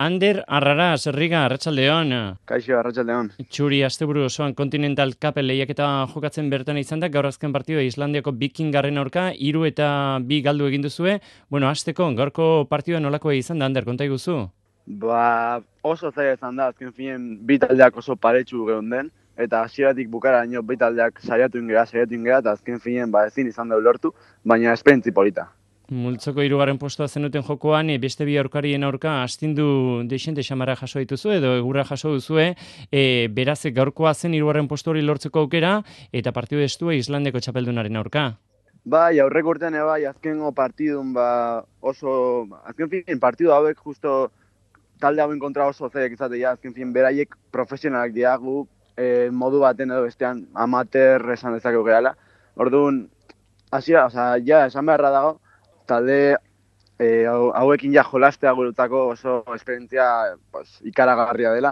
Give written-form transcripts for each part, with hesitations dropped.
Ander Arraraz, Riga, Arratsaldeon. Kaixo, arratsaldeon. Txuri asteburu osoan Continental Cup lehiaketa jokatzen bertan izan da, gaur azken partidua Islandiako Vikingarren aurka, 3-2 galdu egin duzue. Bueno, hasteko gaurko partidua nolakoa izan da, Ander, konta iguzu? Oso zaila izan da, azken finen bi taldeak oso paretsu geunden, eta hasieratik bukaraino bi taldeak saiatu ingera, eta azken finen ezin izan da lortu, baina esperientzi polita. Multzoko 3. postua zenuten jokoan, beste bi aurkarien aurka astindu deixente xamara jaso dituzu edo egurra jaso duzue, beraz gaurkoa zen 3. postu hori lortzeko aukera eta partidu estua Islandiako txapeldunaren aurka. Bai, aurreko urtean azkengo partidun azken fin partidu hauek justo talde hauen kontra oso zeek izatea, azken fin beraiek profesionalak diagu, modu baten edo bestean amateur esan dezakegu gehala. Orduan, esan beharra dago, talde hauekin jolastea guretzako oso esperientzia ikaragarria dela.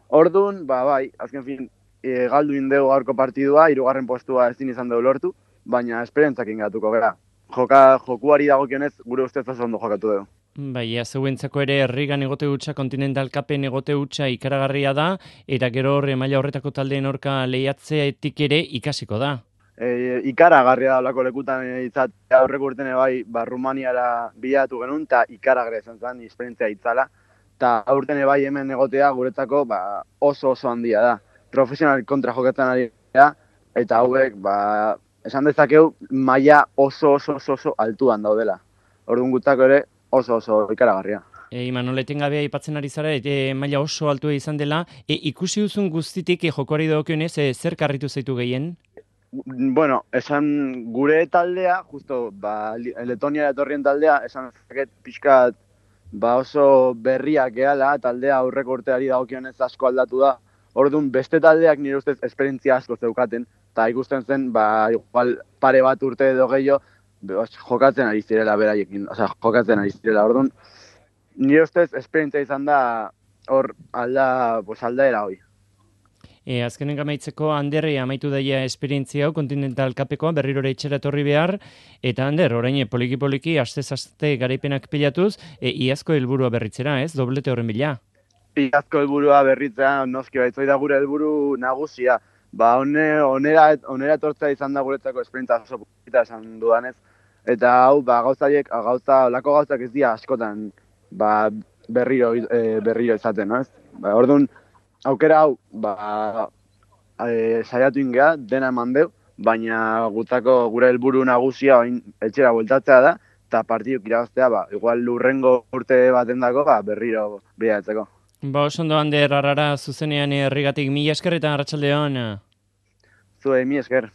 Orduan, bai, azken fin, galdu indegu gaurko partidua, 3. postua ezin izan dugu lortu, baina esperientzak ingatuko gara. Jokuari dagokionez gure ustez oso ondo jokatu dugu. Bai, zeuentzako ere Rigan egote hutsa, Continental Cupen egote hutsa ikaragarria da, eta gero maila horretako taldeen aurka lehiatzeetik ere ikasiko da. Ikaragarria da olako lekutan izatea aurreko urtene bai, Rumaniara bilatu genuen, eta ikaragarria izan zen, esperientzia itzala. Eta aurten bai hemen egotea guretzako oso handia da. Profesional kontra jokatzen ari da, eta hauek esan dezakegu maila oso altuan daudela. Orduan gutako ere oso ikaragarria. Imanol, etengabea aipatzen ari zara, maila oso altua izan dela. Ikusi duzun guztitik jokoari dagokionez, zer karritu zaitu gehien? Bueno, esan gure taldea, justo Letonia etorrien taldea, esan zaket pixkat oso berriak gehala, taldea aurreko urteari dagokionez asko aldatu da. Orduan, beste taldeak nire ustez esperientzia asko zeukaten, eta ikusten zen, igual pare bat urte edo gehiago, jokatzen ari zirela beraiekin, jokatzen ari zirela. Orduan, nire ustez esperientzia izan da hor aldaera hoi. Azkenen amaitzeko, Ander, amaitu daia esperientzia hau, Continental Cupekoa, berriro ere etxera etorri behar, eta Ander, orain poliki, astez-aste garaipenak pilatuz, iazko helburua berritzera, ez? Doblete horren bila. Iazko helburua berritzea, noski baitzoi da gure helburu nagusia. Onera etortzea izan da guretzako esperientzia oso polita esan dudanez. Eta hau, olako gauzak ez dira askotan berriro izaten, no ez? Orduan, aukera hau, saiatu ingea, dena eman deu, baina gure helburu nagusia etxera bueltatzea da, eta partiduk irabaztea, igual lurrengo urte baten dako, berriro bilatzeko. Oso ondo, Ander, Arrara zuzenean Rigatik, mila esker eta arratsaldeon. Zuei, mila esker.